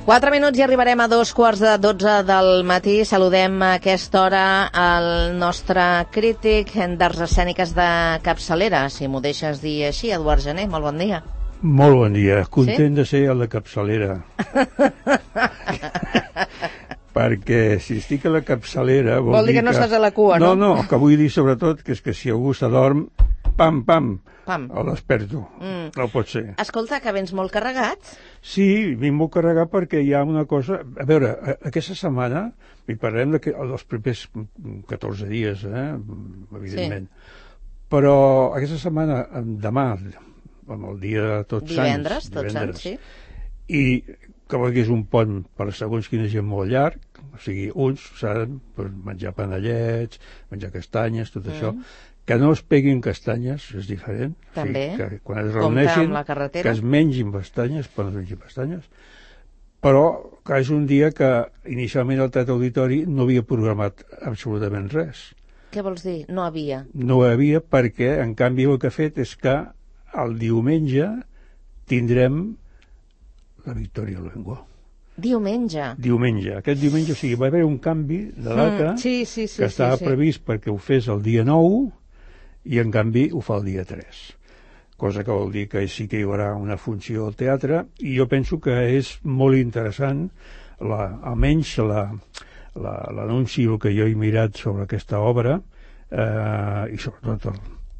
4 minuts i arribarem a 2:45 del matí. Saludem a aquesta hora el nostre crític d'arts escèniques de capçalera, si m'ho deixes dir així, Eduard Gené. Molt bon dia. Molt bon dia. Content de ser el de capçalera. Perquè si estic a la capçalera... Vol dir que no estàs a la cua, no? No, que vull dir sobretot que és que si algú s'adorm, pam, el desperto. No pot ser. Escolta, que vens molt carregat. Sí, vinc molt carregat perquè hi ha una cosa... A veure, aquesta setmana, i parlem dels primers 14 dies, evidentment, però aquesta setmana, demà, el dia de Tots Sants... Tots Sants, sí. I que és un pont per a segons quina gent molt llarg, o sigui, uns saben menjar panellets, menjar castanyes, tot això, que no es peguin castanyes, és diferent. També, o sigui, que quan es reuneixin, que es mengin pestanyes, però no es mengin pestanyes, però que és un dia que inicialment el Teatre Auditori no havia programat absolutament res. Què vols dir? No havia? No havia perquè, en canvi, el que ha fet és que el diumenge tindrem la Victòria Luengo. Diumenge. Aquest diumenge, o sigui, va haver un canvi de data que estava previst perquè ho fes el dia 9 i, en canvi, ho fa el dia 3. Cosa que vol dir que sí que hi haurà una funció al teatre i jo penso que és molt interessant, almenys l'anunci que jo he mirat sobre aquesta obra i sobretot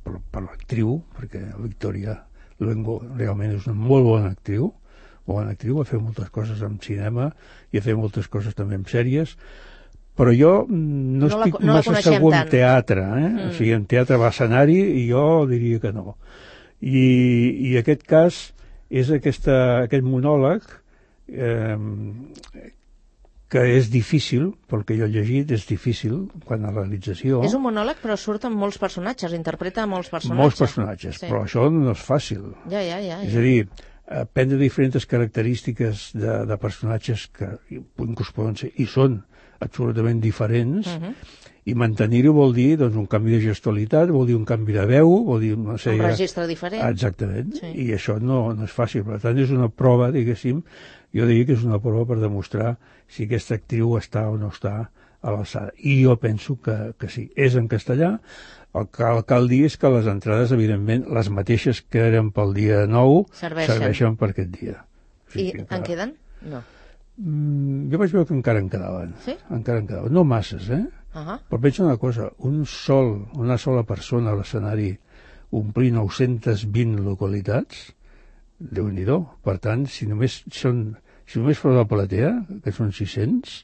per l'actriu, perquè la Victòria Luengo realment és una molt bona actriu, ha fet moltes coses en cinema i ha fet moltes coses també en sèries, però jo no estic massa segur en teatre, o sigui, en teatre va a escenari i jo diria que no. I aquest cas és aquest monòleg que és difícil, pel que jo he llegit, és difícil quan a la realització... És un monòleg, però surt amb molts personatges, interpreta molts personatges. Molts personatges, sí. Però això no és fàcil. Ja. És a dir, prendre diferents característiques de personatges que poden ser i són absolutament diferents i mantenir-ho vol dir doncs, un canvi de gestualitat, vol dir un canvi de veu, vol dir una sèrie... Un registre diferent. Exactament, sí. I això no és fàcil. Per tant, és una prova, diguéssim, jo diria que és una prova per demostrar si aquesta actriu està o no està a l'alçada. I jo penso que sí. És en castellà. El que cal dir és que les entrades, evidentment, les mateixes que eren pel dia 9, serveixen per aquest dia. O sigui, I en queden? No. Jo vaig veure que encara en quedaven. Sí? Encara en quedaven. No masses, Però penso una cosa, una sola persona a l'escenari omplir 920 localitats, Déu-n'hi-do. Per tant, si només fos la platea, que són 600,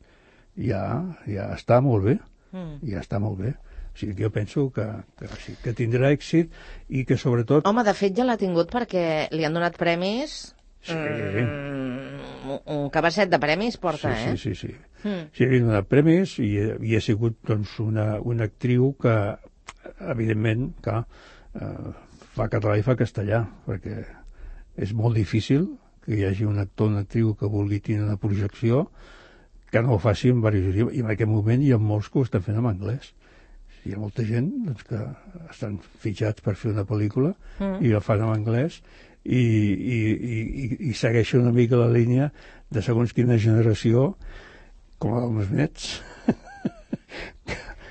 ja està molt bé. Ja està molt bé. O sigui que jo penso que tindrà èxit i que sobretot... Home, de fet ja l'ha tingut perquè li han donat premis... Sí. Un cabasset de premis porta, Sí. Sí, li han donat premis i ha sigut doncs, una actriu que, evidentment, fa català i fa castellà, perquè és molt difícil que hi hagi un actor o una actriu que vulgui tenir una projecció que no ho faci en diversos idiomes. I en aquest moment hi ha molts que ho estan fent en anglès. Hi ha molta gent doncs, que estan fitxats per fer una pel·lícula i la fan en anglès i segueixen una mica la línia de segons quina generació, com la dels meus nets,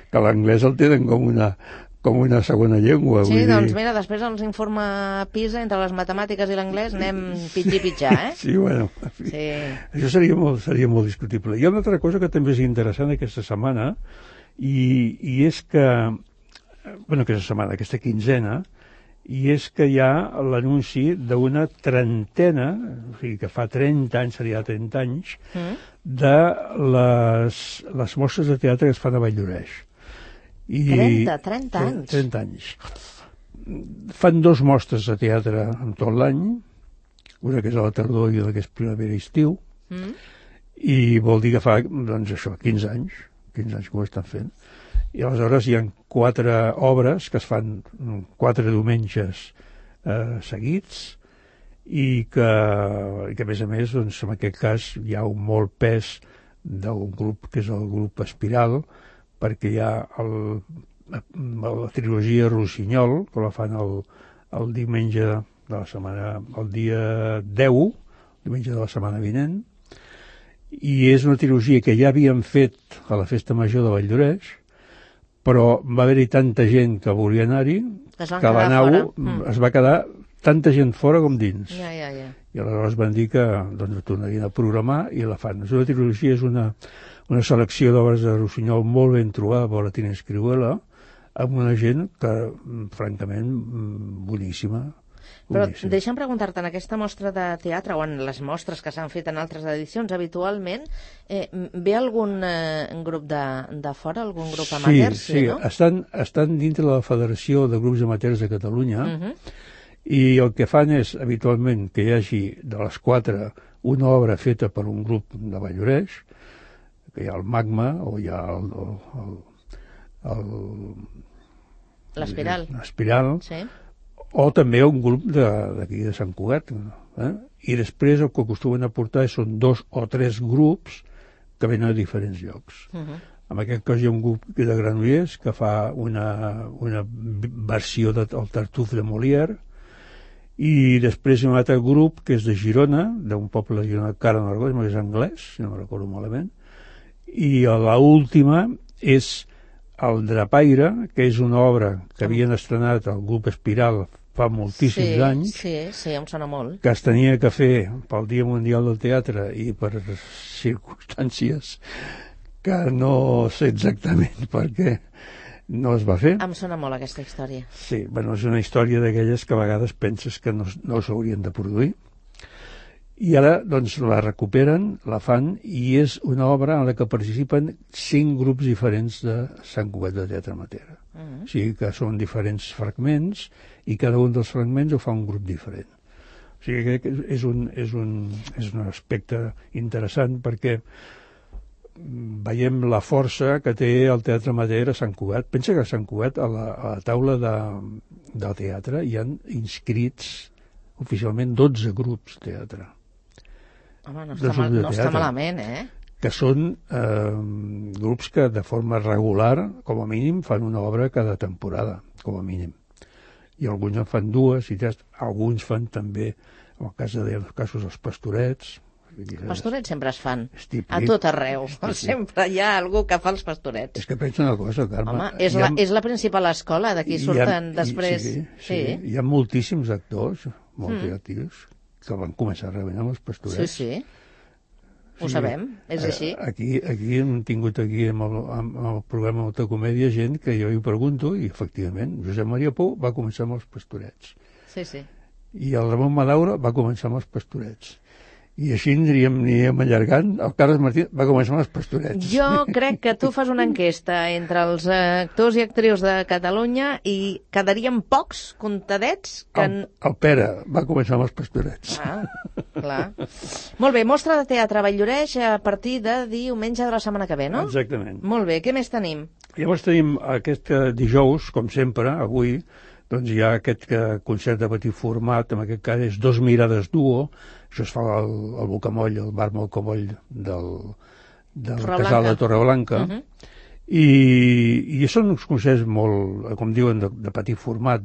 que l'anglès el tenen com una segona llengua. Sí, doncs mira, després ens informa PISA, entre les matemàtiques i l'anglès anem pitjar, Sí, bueno, en fi. Sí. Això seria molt discutible. Hi ha una altra cosa que també és interessant aquesta setmana, i és que, aquesta quinzena, i és que hi ha l'anunci d'una trentena, o sigui que fa 30 anys, seria 30 anys, de les mostres de teatre que es fan a Valldoreix. 30 anys? 30 anys. Fan 2 mostres de teatre en tot l'any, una que és a la tardor i una que és primavera-estiu, i vol dir que fa, doncs això, 15 anys que ho estan fent. I aleshores hi ha 4 obres que es fan 4 diumenges seguits i que a més a més, doncs, en aquest cas hi ha un molt pes d'un grup que és el grup Espiral, perquè hi ha la trilogia Rossinyol, que la fan el diumenge de la setmana, el dia 10, diumenge de la setmana vinent, i és una trilogia que ja havíem fet a la Festa Major de Valldoreix, però va haver-hi tanta gent que volia anar-hi que a la nau es va quedar tanta gent fora com dins. I aleshores van dir que doncs, tornarien a programar i la fan. La trilogia és una selecció d'obres de Rossinyol molt ben trobada per la Tina Escrihuela, amb una gent que, francament, boníssima. Però deixa'm preguntar-te, en aquesta mostra de teatre o en les mostres que s'han fet en altres edicions, habitualment ve algun grup de fora, algun grup amateur? Sí, no? Estan dintre de la Federació de Grups Amateurs de Catalunya i el que fan és, habitualment, que hi hagi de les 4 una obra feta per un grup de Valldoreix, que hi ha el Magma o hi ha l'Espiral, sí, o també un grup d'aquí de Sant Cugat. I després el que acostumen a portar són 2 o 3 grups que venen a diferents llocs. En aquest cas hi ha un grup de Granollers que fa una versió del Tartuffe de Molière, i després hi ha un altre grup que és de Girona, d'un poble de Girona, Cara Nargó, és anglès, si no recordo malament, i l'última és el Drapaire, que és una obra que havien estrenat el grup Espiral fa moltíssims anys, sí, em sona molt, que es tenia que fer pel Dia Mundial del Teatre i per circumstàncies que no sé exactament per què no es va fer. Em sona molt aquesta història. Sí, bueno, és una història d'aquelles que a vegades penses que no s'haurien de produir. I ara, doncs, la recuperen, la fan, i és una obra en la que participen 5 grups diferents de Sant Cugat de Teatre Amateur. O sigui que són diferents fragments i cada un dels fragments ho fa un grup diferent. O sigui que és un aspecte interessant perquè veiem la força que té el Teatre Amateur a Sant Cugat. Pensa que a Sant Cugat, a la taula del teatre, hi han inscrits oficialment 12 grups de teatre. Home, no està malament, que són grups que de forma regular, com a mínim, fan una obra cada temporada, com a mínim. I alguns en fan 2 i 3, alguns fan també, en el cas dels casos dels Pastorets. Els Pastorets sempre es fan, a tot arreu. Sempre hi ha algú que fa els Pastorets. És que penso una cosa, Carme. Home, és la principal escola, d'aquí surten després. Sí, hi ha moltíssims actors, molt creatius, que van començar rebent amb els Pastorets. Sí. Ho sabem, és així. Aquí hem tingut amb el programa Alta Comèdia gent que jo hi pregunto, i efectivament, Josep Maria Pou va començar amb els Pastorets. Sí. I el Ramon Madaura va començar amb els Pastorets. I així aniríem allargant. El Carles Martí va començar amb els Pastorets. Jo crec que tu fas una enquesta entre els actors i actrius de Catalunya i quedarien pocs, comptadets, que... El Pere va començar amb els Pastorets. Clar. Molt bé, mostra de teatre a Valldoreix a partir de diumenge de la setmana que ve, no? Exactament. Molt bé, què més tenim? Llavors tenim aquest dijous, com sempre, avui, doncs hi ha aquest concert de petit format, en aquest cas és 2 mirades duo. Això es fa al Bocamoll, al bar Bocamoll del Casal de Torreblanca. I són uns concerts molt, com diuen, de petit format.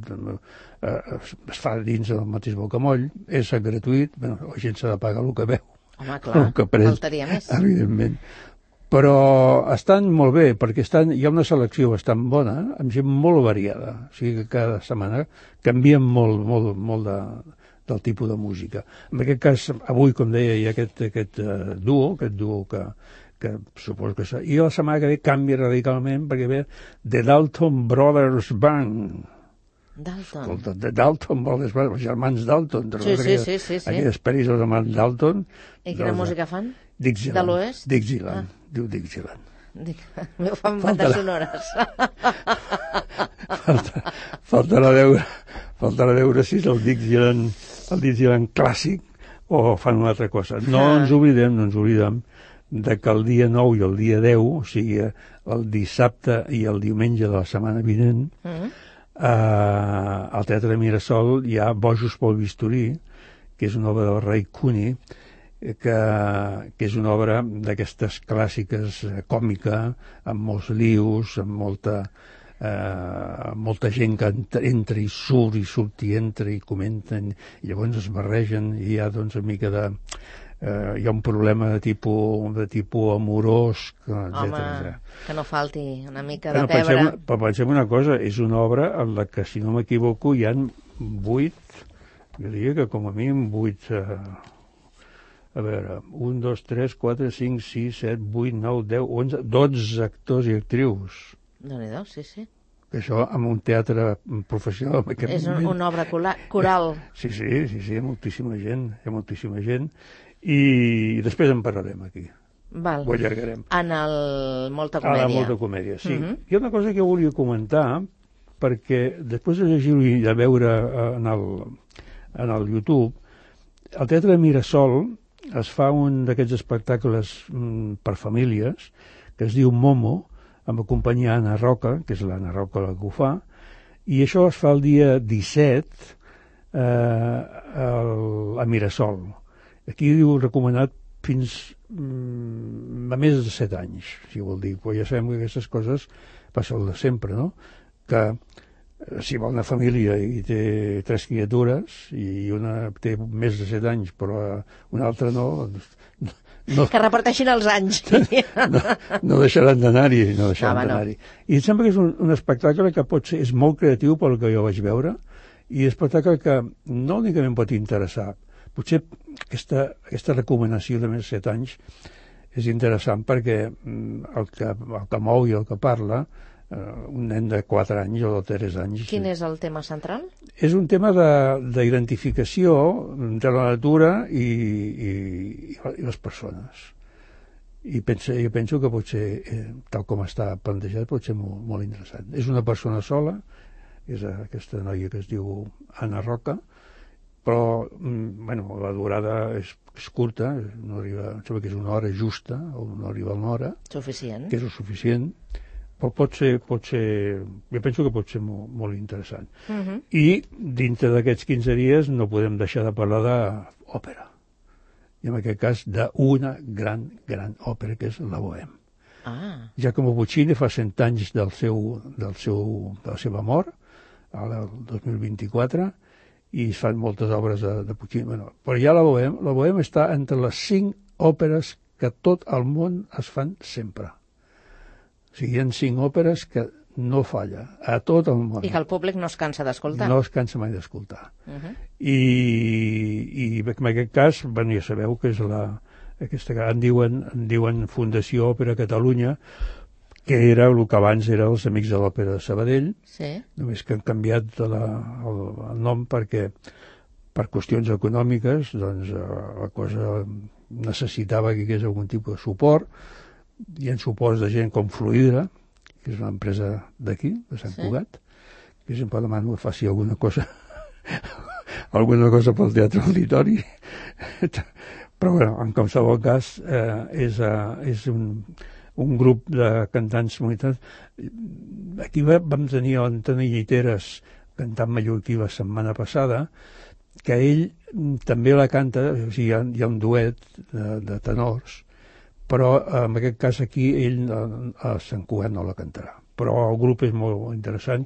Es fa dins del mateix Bocamoll, és gratuït, la gent s'ha de pagar el que veu. Home, clar, faltaria més. Evidentment. Però estan molt bé, perquè hi ha una selecció bastant bona, amb gent molt variada. O sigui que cada setmana canvien molt del tipus de música. En aquest cas, avui, com deia, hi ha aquest duo que suposo que... I la setmana que ve canvia radicalment perquè ve The Dalton Brothers Band. Dalton. Escolta, The Dalton Brothers Band, els germans Dalton. Sí. Aquelles pel·lis dels germans Dalton. I quina música fan? Dixieland. De l'Oest? Dixieland. Diu Dixieland. M'ho fan bandes sonores. Faltarà veure si és el Dixieland clàssic o fan una altra cosa. No ens oblidem de que el dia 9 i el dia 10, o sigui, el dissabte i el diumenge de la setmana vinent, al Teatre Mirasol hi ha Bojos pel bisturí, que és una obra del Ray Cooney, que és una obra d'aquestes clàssiques còmica, amb molts lius, amb molta gent que entra i surt i entra i comenten, i llavors es barregen i hi ha doncs una mica hi ha un problema de tipus amorós, etc. Que no falti una mica de pebre. Però pensem una cosa, és una obra en la que, si no m'equivoco, hi ha 8, jo diria que com a mínim 8, a veure, 1, 2, 3, 4, 5, 6, 7, 8, 9, 10, 11, 12 actors i actrius. Déu-n'hi-do, sí. Que això amb un teatre professional en aquest moment... És una obra coral. Sí, hi ha moltíssima gent, i després en parlarem aquí. Val. Ho allargarem. En el Molta Comèdia. En el Molta Comèdia, sí. Hi ha una cosa que volia comentar, perquè després de llegir-ho i de veure en el YouTube, al Teatre Mirasol es fa un d'aquests espectacles per famílies, que es diu Momo, amb la companyia Anna Roca, que és l'Anna Roca la que ho fa, i això es fa el dia 17 a Mirasol. Aquí diu recomanat fins a més de 7 anys, si vol dir, però ja sabem que aquestes coses passen el de sempre, no? Que si va una família i té 3 criatures i una té més de 7 anys però una altra no, que reparteixin els anys. No deixaran d'anar-hi, I em sembla que és un espectacle que és molt creatiu pel que jo vaig veure, i un espectacle que no únicament pot interessar, potser aquesta recomanació de més de 7 anys és interessant perquè el que mou i el que parla, un nen de 4 anys o de 3 anys... Quin és el tema central? És un tema d'identificació entre la natura i les persones. I jo penso que pot ser, tal com està plantejat, pot ser molt, molt interessant. És una persona sola, és aquesta noia que es diu Anna Roca, però la durada és curta, no arriba, em sembla que és una hora justa, o no arriba a una hora. Suficient. Que és el suficient, però pot ser, jo penso que pot ser molt, molt interessant. I dintre d'aquests 15 dies no podem deixar de parlar d'òpera. I en aquest cas d'una gran òpera, que és la Bohème. Giacomo Puccini fa 100 anys de la seva mort, el 2024, i es fan moltes obres de Puccini. Però ja la Bohème està entre les 5 òperes que tot el món es fan sempre. O sigui, hi ha 5 òperes que no falla a tot el món. I que el públic no es cansa d'escoltar. No es cansa mai d'escoltar. I en aquest cas, ja sabeu que és aquesta que en diuen Fundació Òpera Catalunya, que era el que abans era els Amics de l'Òpera de Sabadell, només que han canviat el nom perquè per qüestions econòmiques la cosa necessitava que hi hagués algun tipus de suport. Hi ha suports de gent com Fluidra, que és una empresa d'aquí, de Sant Cugat, que sempre demano que faci alguna cosa pel Teatre Auditori. Però en qualsevol cas és un grup de cantants comunitats. Aquí vam tenir l'Antoni Lliteres cantant mallorquí la setmana passada, que ell també la canta, o sigui, hi ha un duet de tenors, però en aquest cas aquí ell a Sant Cugat no la cantarà. Però el grup és molt interessant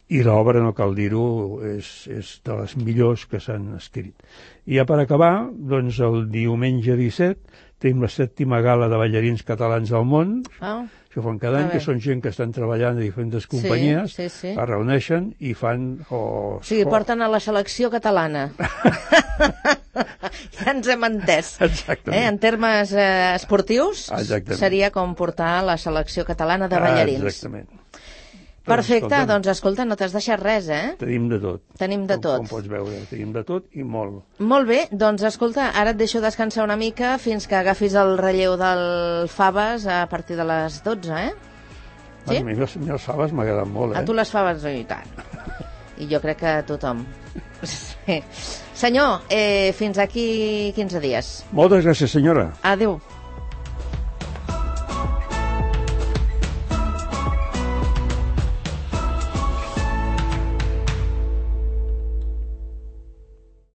i l'obra, no cal dir-ho, és de les millors que s'han escrit. I ja per acabar, doncs el diumenge 17 tenim la 7ª gala de ballarins catalans al món. Això fan cada any, que són gent que estan treballant a diferents companyies, es reuneixen i fan... Sí, porten a la selecció catalana. Ja ens hem entès. En termes esportius, seria com portar la selecció catalana de ballarins. Exactament. Perfecte, doncs escolta, no t'has deixat res, Tenim de tot. Tenim de tot. Com pots veure, tenim de tot i molt. Molt bé, doncs escolta, ara et deixo descansar una mica fins que agafis el relleu del Faves a partir de les 12, Sí? A mi les faves m'agraden molt, A tu les faves, i tant. I jo crec que a tothom. Sí. Senyor, fins aquí 15 dies. Moltes gràcies, senyora. Adéu.